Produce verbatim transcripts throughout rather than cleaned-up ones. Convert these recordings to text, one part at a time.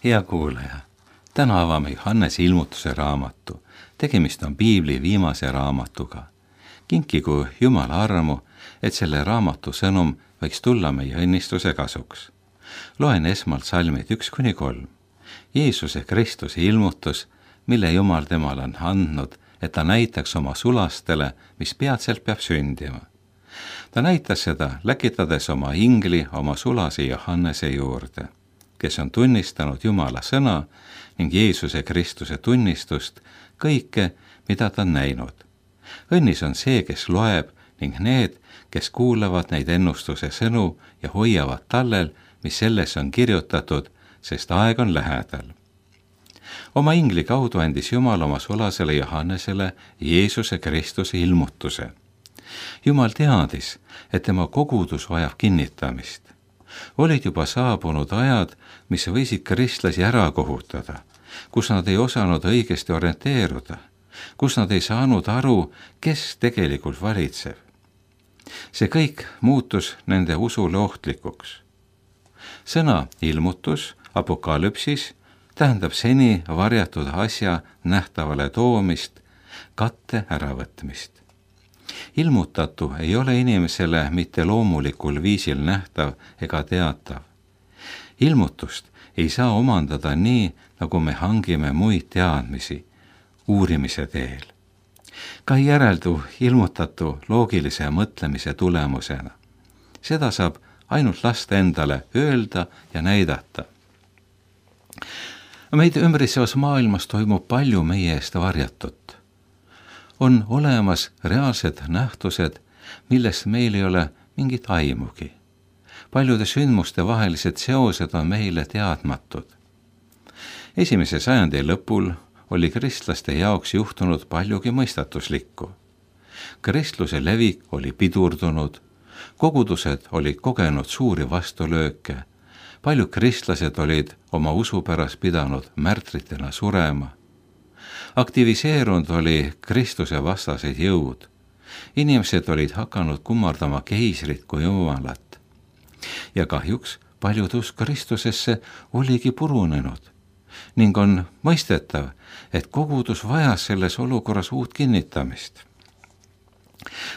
Hea kuulaja, täna avame Johannese ilmutuse raamatu. Tegemist on piibli viimase raamatuga. Kinkigu Jumala armu, et selle raamatu sõnum võiks tulla meie õnnistuse kasuks. Loen esmalt salmid üks kuni kolm. Jeesuse Kristuse ilmutus, mille Jumal temale on andnud, et ta näitaks oma sulastele, mis peatselt peab sündima. Ta näitas seda, läkitades oma ingli oma sulase Johannese juurde, kes on tunnistanud Jumala sõna ning Jeesuse Kristuse tunnistust kõike, mida ta on näinud. Õnnis on see, kes loeb ning need, kes kuulavad neid ennustuse sõnu ja hoiavad tallel, mis selles on kirjutatud, sest aeg on lähedal. Oma ingli kaudu andis Jumal oma sulasele Johannesele Jeesuse Kristuse ilmutuse. Jumal teadis, et tema kogudus vajab kinnitamist. Olid juba saabunud ajad, mis võisid kristlasi ära kohutada, kus nad ei osanud õigesti orienteeruda, kus nad ei saanud aru, kes tegelikult valitseb. See kõik muutus nende usule ohtlikuks. Sõna ilmutus, apokalüpsis, tähendab seni varjatud asja nähtavale toomist, katte äravõtmist. Ilmutatu ei ole inimesele mitte loomulikul viisil nähtav ega teatav. Ilmutust ei saa omandada nii, nagu me hangime muid teadmisi uurimise teel. Ka ei järeldu ilmutatu loogilise mõtlemise tulemusena. Seda saab ainult lasta endale öelda ja näidata. Meid ümbritsevas maailmas toimub palju meie eest varjatut. On olemas reaalsed nähtused, millest meil ei ole mingit aimugi. Paljude sündmuste vahelised seosed on meile teadmatud. Esimese sajandi lõpul oli kristlaste jaoks juhtunud paljugi mõistatuslikku. Kristluse levik oli pidurdunud, kogudused olid kogenud suuri vastulööke, paljud kristlased olid oma usu pärast pidanud märtritena surema. Aktiviseerunud oli Kristuse vastased jõud. Inimesed olid hakanud kummardama keisrit kui Jumalat. Ja kahjuks paljud usk Kristusesse oligi purunenud ning on mõistetav, et kogudus vajas selles olukorras uut kinnitamist.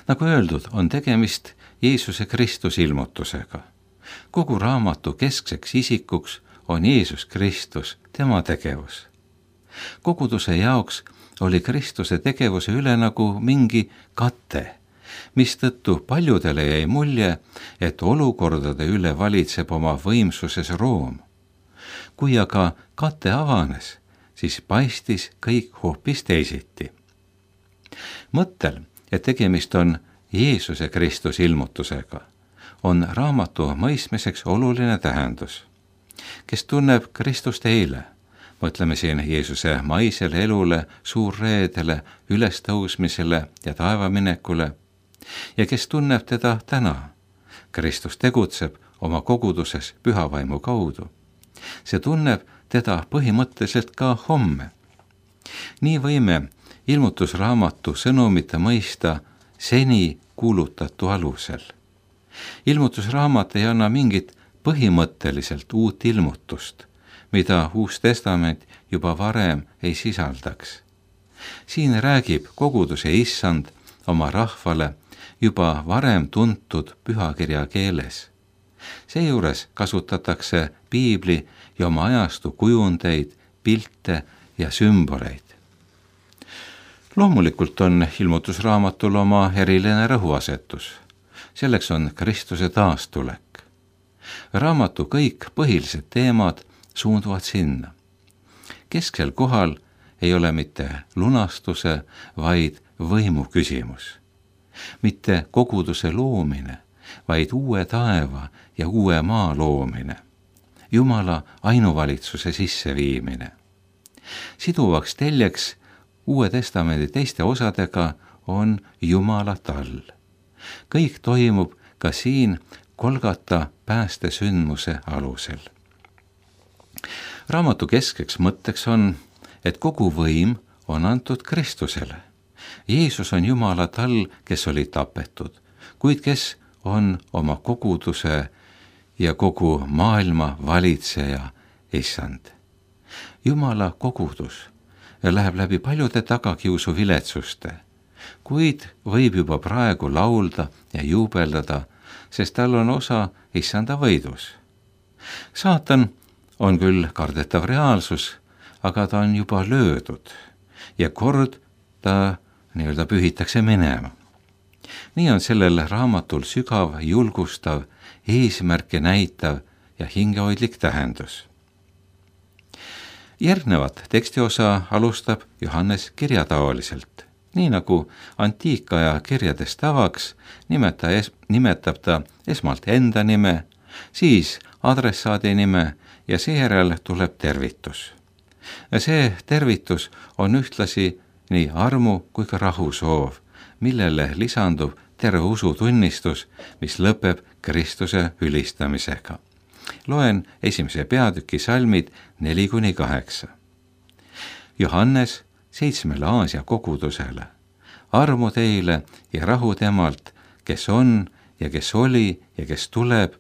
Nagu öeldud, on tegemist Jeesuse Kristuse ilmutusega. Kogu raamatu keskseks isikuks on Jeesus Kristus, tema tegevus. Koguduse jaoks oli Kristuse tegevuse üle nagu mingi kate, mistõttu paljudele jäi mulje, et olukordade üle valitseb oma võimsuses Room. Kui aga kate avanes, siis paistis kõik hoopis teisiti. Mõttel, et tegemist on Jeesuse Kristuse ilmutusega, on raamatu mõistmiseks oluline tähendus. Kes tunneb Kristust eile, mõtleme siin Jeesuse maisele elule, suurreedele, ülestõusmisele ja taevaminekule, ja kes tunneb teda täna, Kristus tegutseb oma koguduses pühavaimu kaudu. See tunneb teda põhimõtteliselt ka homme. Nii võime ilmutusraamatu sõnumite mõista seni kuulutatu alusel. Ilmutusraamat ei anna mingit põhimõtteliselt uut ilmutust, mida Uus Testament juba varem ei sisaldaks. Siin räägib koguduse issand oma rahvale juba varem tuntud pühakirja keeles. Seejuures kasutatakse piibli ja oma ajastu kujundeid, pilte ja sümboleid. Loomulikult on ilmutusraamatul oma eriline rõhuasetus. Selleks on Kristuse taastulek. Raamatu kõik põhilised teemad suunduvad sinna. Kesksel kohal ei ole mitte lunastuse, vaid võimu küsimus. Mitte koguduse loomine, vaid uue taeva ja uue maa loomine. Jumala ainuvalitsuse sisseviimine. Siduvaks teljeks Uue Testamendi teiste osadega on Jumala tall. Kõik toimub ka siin Golgata päästesündmuse alusel. Raamatu keskeks mõtteks on, et kogu võim on antud Kristusele. Jeesus on Jumala tall, kes oli tapetud, kuid kes on oma koguduse ja kogu maailma valitseja issand. Jumala kogudus läheb läbi paljude tagakiusu viletsuste, kuid võib juba praegu laulda ja juubeldada, sest tal on osa issanda võidus. Saatan on küll kardetav reaalsus, aga ta on juba löödud ja kord ta nii-öelda pühitakse minema. Nii on sellel raamatul sügav, julgustav, eesmärke näitav ja hingehoidlik tähendus. Järgnevat tekstiosa alustab Johannes kirjataoliselt. Nii nagu antiikaja kirjades tavaks, nimeta es, nimetab ta esmalt enda nime, siis adressaadi nime ja seejärel tuleb tervitus. See tervitus on ühtlasi nii armu kui ka rahu soov, millele lisandub terve usutunnistus, mis lõpeb Kristuse ülistamisega. Loen esimese peatüki salmid neli kuni kaheksa. Johannes seitsmele Aasia kogudusele. Armu teile ja rahu temalt, kes on ja kes oli ja kes tuleb,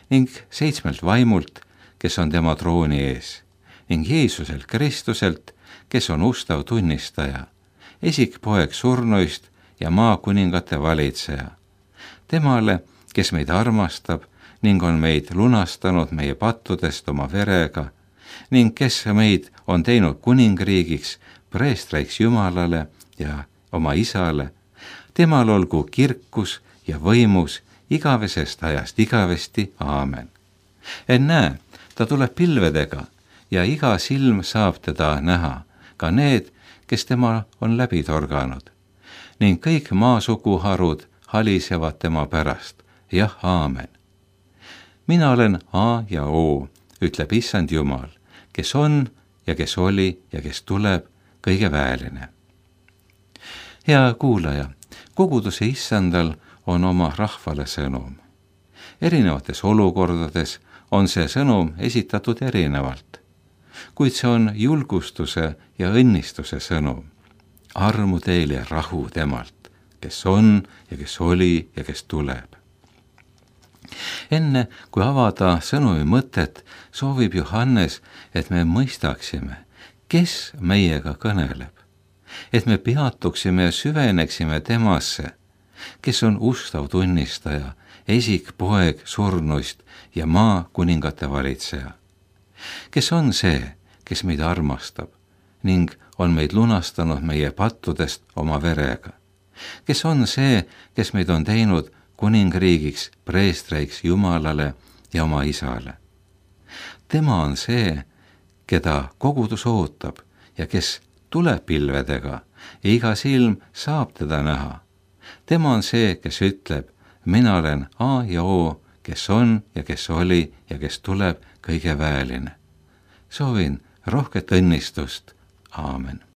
ning seitsmelt vaimult, kes on tema trooni ees, ning Jeesuselt Kristuselt, kes on ustav tunnistaja, esikpoeg surnuist ja maakuningate valitseja. Temale, kes meid armastab ning on meid lunastanud meie pattudest oma verega ning kes meid on teinud kuningriigiks, preestriks Jumalale ja oma isale, temal olgu kirkus ja võimus igavesest ajast igavesti, aamen. Ennäe, ta tuleb pilvedega ja iga silm saab teda näha, ka need, kes tema on läbi torganud. Ning kõik maasuguharud halisevad tema pärast, jah, aamen. Mina olen A ja O, ütleb issand Jumal, kes on ja kes oli ja kes tuleb, kõige väeline. Hea kuulaja, koguduse issandal on oma rahvale sõnum. Erinevates olukordades on see sõnum esitatud erinevalt, kuid see on julgustuse ja õnnistuse sõnum. Armu teile rahu temalt, kes on ja kes oli ja kes tuleb. Enne kui avada sõnumi mõtet, soovib Johannes, et me mõistaksime, kes meiega kõneleb, et me peatuksime ja süveneksime temasse, kes on ustav tunnistaja, esikpoeg surnuist ja maa kuningate valitseja. Kes on see, kes meid armastab ning on meid lunastanud meie pattudest oma verega. Kes on see, kes meid on teinud kuningriigiks, preestreiks Jumalale ja oma isale. Tema on see, keda kogudus ootab ja kes tuleb pilvedega ja iga silm saab teda näha. Tema on see, kes ütleb, mina olen A ja O, kes on ja kes oli ja kes tuleb, kõige väeline. Soovin rohket õnnistust. Aamen.